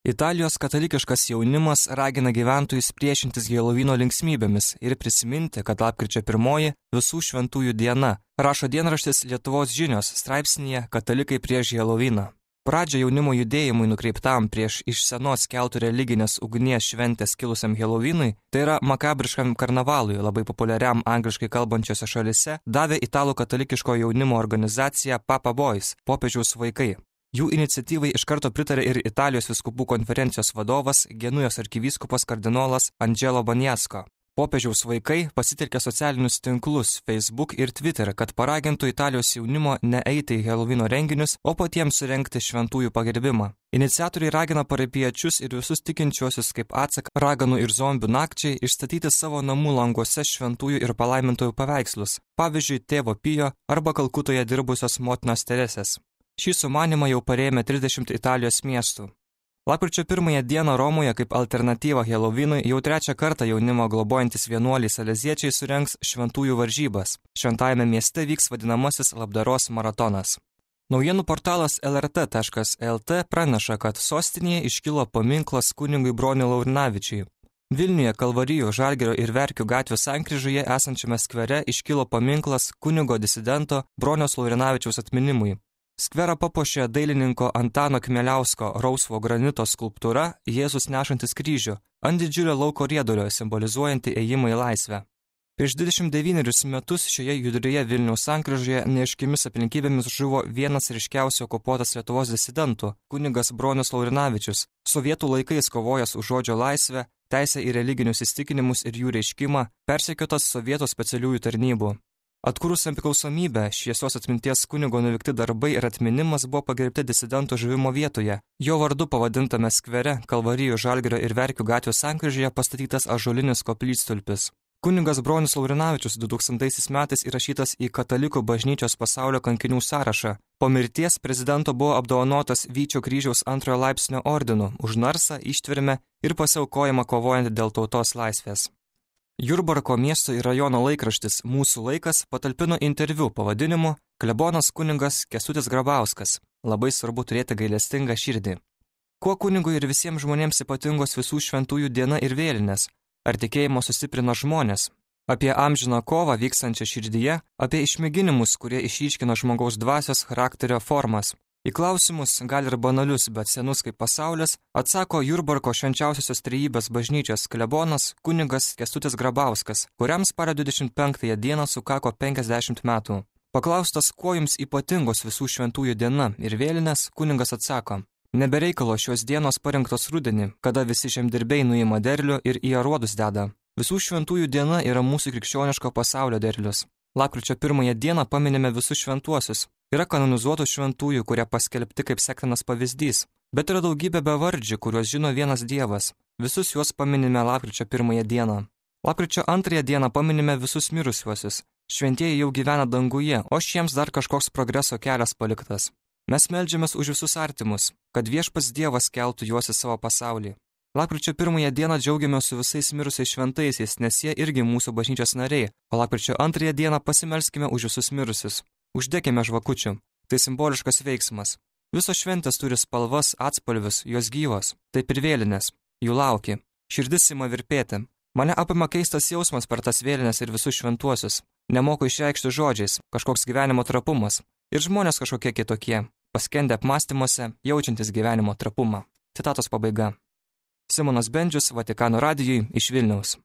Italijos katalikiškas jaunimas ragina gyventojus priešintis Helovyno linksmybėmis ir prisiminti, kad lapkričio 1 visų šventųjų diena, rašo dienraštis Lietuvos žinios straipsnyje Katalikai prieš Helovyną. Pradžią jaunimo judėjimui nukreiptam prieš iš senos keltų religinės ugnies šventės kilusiam Helovynui, tai yra makabriškam karnavalui, labai populiariam angliškai kalbančiose šalise, davė italų katalikiško jaunimo organizacija Papa Boys, popiežiaus vaikai. Jų iniciatyvai iš karto pritarė ir Italijos vyskupų konferencijos vadovas, Genujos arkivyskupas kardinolas Angelo Baniasko. Popiežiaus vaikai pasitelkė socialinius tinklus Facebook ir Twitter, kad paragintų Italijos jaunimo neeiti į Helovyno renginius, o patiems surengti šventųjų pagerbimą. Iniciatoriai ragina parapijiečius ir visus tikinčiuosius kaip atsaką raganų ir zombių nakčiai išstatyti savo namų languose šventųjų ir palaimintojų paveikslus, pavyzdžiui, tėvo Pijo arba Kalkutoje dirbusios motinos Teresės. Šį sumanimą jau parėmė 30 Italijos miestų. Lapkričio 1 dieną Romoje kaip alternatyva Helovynui jau 3 kartą jaunimo globojantis vienuoliai saleziečiai surengs šventųjų varžybas. Šventajame mieste vyks vadinamasis labdaros maratonas. Naujienų portalas lrt.lt praneša, kad sostinėje iškilo paminklas kunigui Broniui Laurinavičiui. Vilniuje Kalvarijų, Žalgirio ir Verkių gatvių sankryžoje esančiame skvere iškilo paminklas kunigo disidento Broniaus Laurinavičiaus atminimui. Skverą papuošė dailininko Antano Kmieliausko rausvo granito skulptūra Jėzus nešantis kryžių ant didžiulio lauko riedulio simbolizuojanti ėjimą į laisvę. Prieš 29 metus šioje judrioje Vilniaus sankryžoje neaiškiomis aplinkybėmis žuvo vienas ryškiausių okupuotas Lietuvos disidentų, kunigas Bronius Laurinavičius, sovietų laikais kovojęs už žodžio laisvę, teisę į religinius įsitikinimus ir jų reiškimą, persekiotas sovietų specialiųjų tarnybų. Atkūrus nepriklausomybę, šviesios atminties kunigo nuveikti darbai ir atminimas buvo pagerbti disidento žuvimo vietoje. Jo vardu pavadintame skvere Kalvarijų, Žalgirio ir Verkių gatvių sankryžoje pastatytas ąžuolinis koplytstulpis. Kunigas Bronius Laurinavičius 2000 metais įrašytas į Katalikų bažnyčios pasaulio kankinių sąrašą. Po mirties prezidento buvo apdovanotas Vyčio kryžiaus 2 laipsnio ordinu už narsą, ištvermę ir pasiaukojimą kovojant dėl tautos laisvės. Jurbarko miesto ir rajono laikraštis Mūsų laikas patalpino interviu pavadinimu Klebonas kunigas Kęstutis Grabauskas. Labai svarbu turėti gailestingą širdį. Kuo kunigui ir visiems žmonėms ypatingos visų šventųjų diena ir vėlinės? Ar tikėjimo sustiprina žmonės? Apie amžiną kovą vykstančią širdyje, apie išmėginimus, kurie išryškina žmogaus dvasios charakterio formas. Į klausimus, gal ir banalius, bet senus kaip pasaulis, atsako Jurbarko švenčiausiosios trejybės bažnyčios klebonas kunigas Kęstutis Grabauskas, kuriam spalio 25 dieną sukako 50 metų. Paklaustas, kuo jums ypatingos visų šventųjų diena ir vėlinės, kunigas atsako: nebereikalo šios dienos parinktos rudenį, kada visi žemdirbiai nuima derlių ir į aruodus deda. Visų šventųjų diena yra mūsų krikščioniško pasaulio derlius. Lapkričio 1 dieną paminime visus šventuosius. Yra kanonizuotų šventųjų, kurie paskelbti kaip sektinas pavyzdys, bet yra daugybė bevardžių, kuriuos žino vienas Dievas. Visus juos paminime lapkričio 1 dieną. Lapkričio 2 dieną paminime visus mirusiuosius. Šventieji jau gyvena danguje, o šiems dar kažkoks progreso kelias paliktas. Mes meldžiamės už visus artimus, kad viešpats Dievas keltų juos į savo pasaulį. Lapkričio 1 dieną džiaugiamės su visais mirusiais šventaisiais, nes jie irgi mūsų bažnyčios nariai, o lapkričio 2 dieną pasimelskime už visus mirusius. Uždekime žvakučių. Tai simboliškas veiksmas. Visos šventės turi spalvas, atspalvius, jos gyvos. Taip ir vėlinės. Jų lauki. Širdis ima virpėti. Mane apima keistas jausmas per tas vėlinės ir visus šventuosius. Nemoku išreikšti žodžiais, kažkoks gyvenimo trapumas. Ir žmonės kažkokie kitokie, paskendę apmąstymuose, jaučiantis gyvenimo trapumą. Citatos pabaiga. Simonas Bendžius, Vatikano radijui iš Vilniaus.